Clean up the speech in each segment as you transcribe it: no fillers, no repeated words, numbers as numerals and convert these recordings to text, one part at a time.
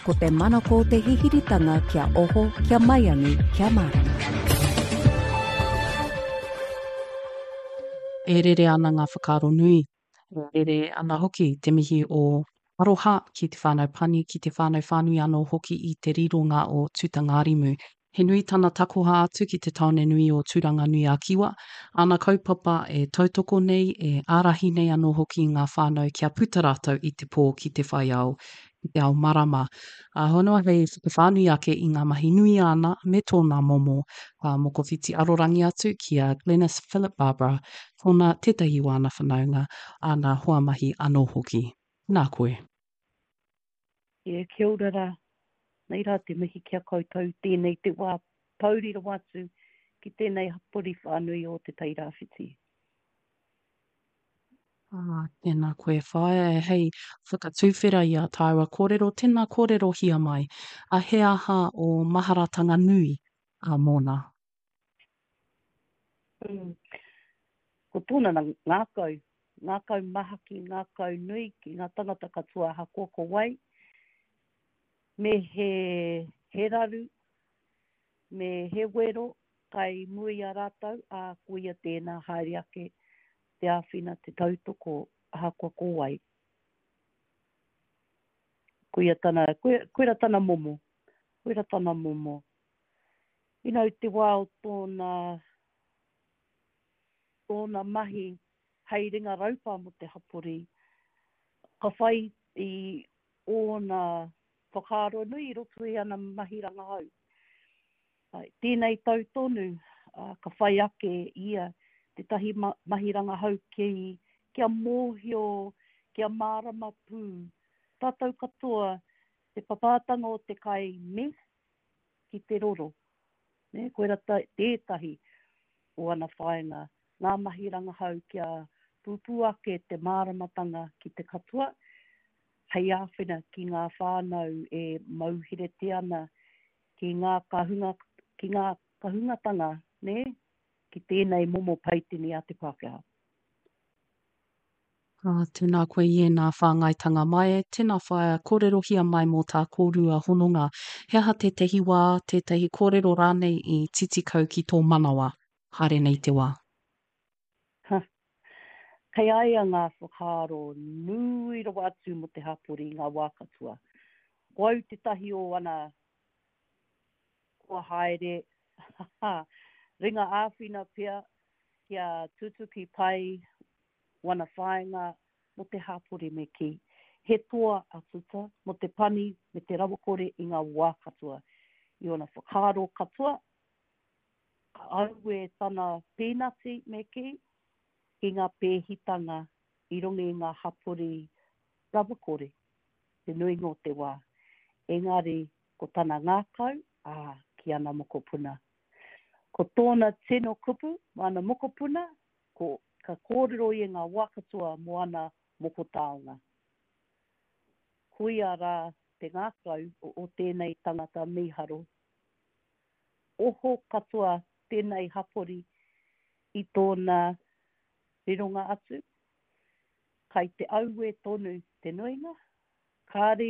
Ko te manako o te hihiritanga kia oho, kia maiangi, kia mārama. E rere ana ngā whakaaro nui, e rere ana hoki te mihi o aroha ki te whānau pani, ki te whānau whānui anō hoki i te rironga o Tutangārimu. He nui tana takoha atu ki te tāone nui o Tūranganui-a-Kiwa, āna kaupapa e tautoko nei, e ārahi nei anō hoki i ngā whānau kia puta rātou i te pō ki te whai ao, ki te ao marama. Ā, honoa hei whakawhānui ake i ngā mahi nui āna me tōna momo, ka mokowhiti arorangi atu ki a Glenis Philip Barbara, tōna tētahi o āna whanaunga, āna hoa mahi anō hoki. Nā koe. E, kia ora rā. Nei rā te mihi ki a koutou, tēnei te wā pouri rawa atu ki tēnei hapori whānui o Te Tairāwhiti. Ah, tēnā koe whaea, hei whakatuwhera i a tāua kōrero, tēnā kōrerohia mai, a he aha ō maharatanga nui a mōna? Mm. Ko tōna ngākau, ngākau mahaki, ngākau nui ki ngā tangata katoa ahakoa ko wai, me he, he raru, me he wero kai mua i a rātou, ā, koia tēnā haere ake te āwhina, te tautoko, ahakoa ko wai. Koia tana, koia, koira tana momo, koira tana momo. You know, te wā o tōna, tōna mahi hei ringa raupa mō te hapori, ka whai i ōna whakaaro nui i roto i ana mahi rangahau. Tēnei tau tonu, ka whai ake ia tētahi mahi rangahau ki, kia mōhio, kia mārama pū tātou katoa te papātanga o te kai meth ki te roro. Nē, koira tētahi o ana whāinga, ngā mahi rangahau kia pupū ake te māramatanga ki te katoa, hei āwhina ki ngā whānau e mauheretia ana ki ngā kahunga, ki ngā kahungatanga, nē, ki tēnei momo paitini a te Pākehā. Ā, tēnā koe i ēnā whāngaitanga mai e, tēnā whaea, kōrerohia mai mō tā kōrua hononga. He aha tētahi wā, tētahi kōrero rānei i titi kau ki tō manawa, haere nei te wā? Ha. Kei a ia ngā whakaaro nui rawa atu mō te hapori i ngā wā katoa. Ko au tētahi o ana kua haere, ha, ringa āwhina pea kia tutuki pai wana whāinga mō te hapori me kī, he toa a Tuta mō te pani me te rawakore i ngā wā katoa. I ōna whakaaro katoa, ka auē tana pīnati me kī, ki ngā pēhitanga i runga i ngā hapori rawakore te nuinga o te wā, engari ko tana ngākau, ā, ki ana mokopuna. Ko tōna tino kupu mō ana mokopuna, ko, ka kōrero ia ngā wā katoa mō ana moko taonga. Koia rā te ngākau o, o tēnei tangata mīharo. Oho katoa tēnei hapori i tōna rironga atu, kai te auē tonu te nuinga, kāre,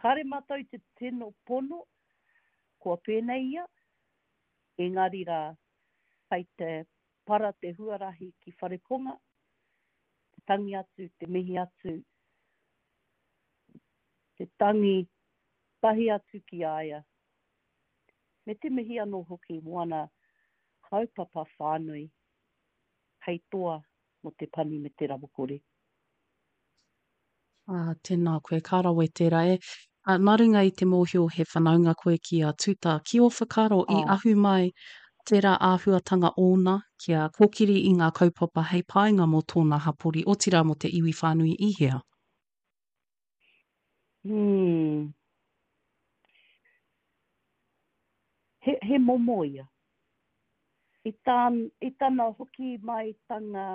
kāre mātou i te tino pono kua pēnei ia, engari rā, kai te para te huarahi ki Whareponga, te tangi atu, te mihi atu, te tangi tahi atu ki a ia, me te mihi anō hoki mō ana kaupapa whānui hei toa mō te pani me te rawakore. Ā, tēnā koe, ka rawe tērā e. Ā, nā runga i te mōhio he whanaunga koe ki a Tuta, ki ō whakaaro i ahu mai tērā āhuatanga ōna kia kōkiri i ngā kaupapa hei painga mō tōna hapori, otirā mō te iwi whānui i hea? Hmm. He, he momo ia. I, tā, i tana hoki maitanga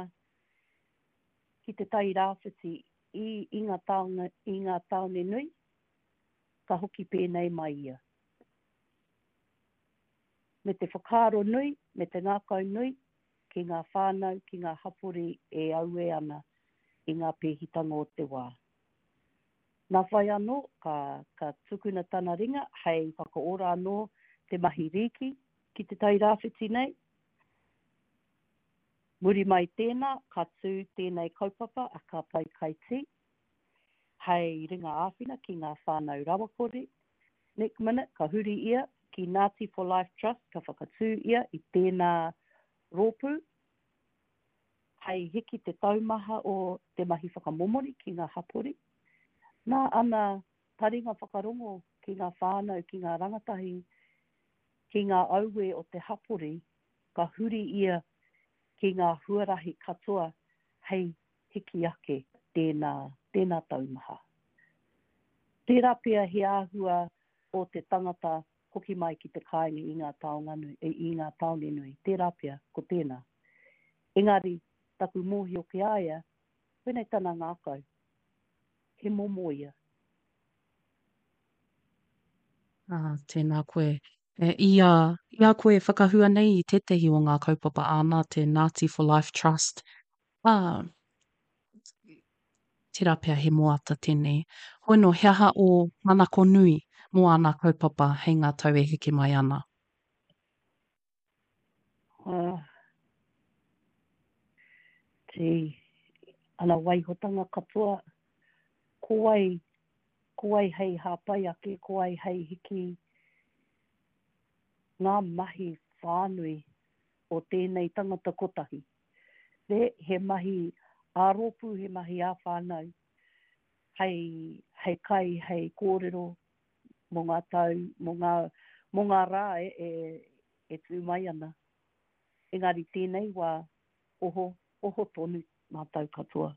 ki Te Tai Rāwhiti i, i ngā taonga, i ngā tāone nui, ka hoki pēnei mai ia. Me te whakaaro nui, me te ngākau nui ki ngā whānau, ki ngā hapori e auē ana i ngā pēhitanga o te wā. Nā whai anō, ka, ka tukuna tana ringa hei whakaora anō te mahi rīki ki Te Tai Rāwhiti nei. Muri mai tēnā, ka tū tēnei kaupapa a Ka Pai Kai Tī hei ringa āwhina ki ngā whānau rawakore. Nick Minute, ka huri ia ki Ngāti for Life Trust, ka whakatū ia i tēnā rōpū hei hiki te taumaha o te mahi whakamomori ki ngā hapori. Nā ana taringa whakarongo ki ngā whānau, ki ngā rangatahi, ki ngā auē o te hapori, ka huri ia ki ngā huarahi katoa hei hiki ake tēnā, tēnā taumaha. Tērā pea he āhua o te tangata hoki mai ki te kāinga i ngā taonga nui, i ngā tāone nui, tērā pea, ko tēnā. Engari, taku mōhio ki a ia, koinei tana ngākau. He momo ia. Ā, tēnā koe. E, i a, i a koe e whakahua nei i tētahi o ngā kaupapa āna, te Ngāti for Life Trust, ā, tērā pea he moata tēnei. Hoi nō, he aha ō manako nui mō āna kaupapa hei ngā tau e heke mai ana? Ā, tī, ana waihotanga katoa, ko wai, ko wai hei hāpai ake, ko wai hei hiki ngā mahi whānui o tēnei tangata kotahi. Nē, he mahi ā-rōpū, he mahi ā-whānau, hei, hei kai, hei kōrero mō ngā tau, mō ngā, mō ngā rā e, e, e tū mai ana. Engari tēnei wā, oho, oho tonu mātou katoa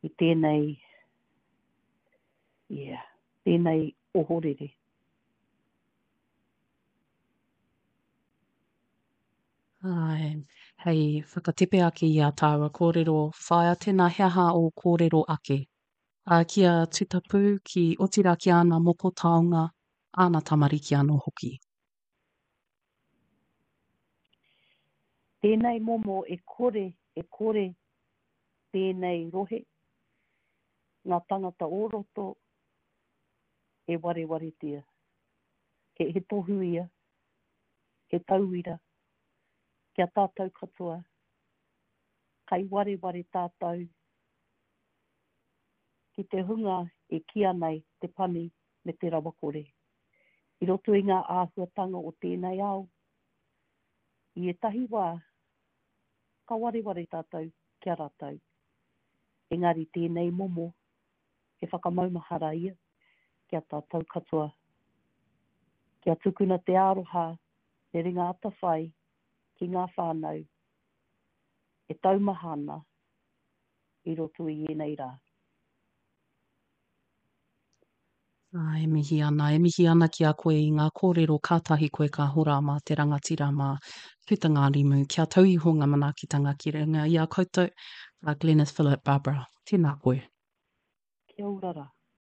i tēnei, yeah, tēnei ohorere. Āe, hei whakatepe ake i ā tāua kōrero, whāia tēnā he aha ō kōrero ake? Ā, ki a Tutapu, ki, otirā ki āna moko taonga, āna tamariki anō hoki. Tēnei momo e kore, e kore tēnei rohe, ngā tangata o roto e warewaretia. He, he tohu ia, he tauira ki a tātou katoa, kai wareware tātou ki te hunga e kīa nei te pani me te rawakore. I roto i ngā āhuatanga o tēnei ao, i ētahi wā, ka wareware tātou ki a rātou. Engari tēnei momo, he whakamaumahara ia ki a tātou katoa. Kia tukuna te aroha, te ringa atawhai ki ngā whānau e taumaha ana i roto i ēnei rā. Ā, e mihi ana, e mihi ana ki a koe i ngā kōrero kātahi koe ka hora mā te rangatira mā Tutangārimu. Kia tau iho ngā manaakitanga ki runga i a koutou, a Glenis Philip Barbara. Tēnā koe. Kia ora rā.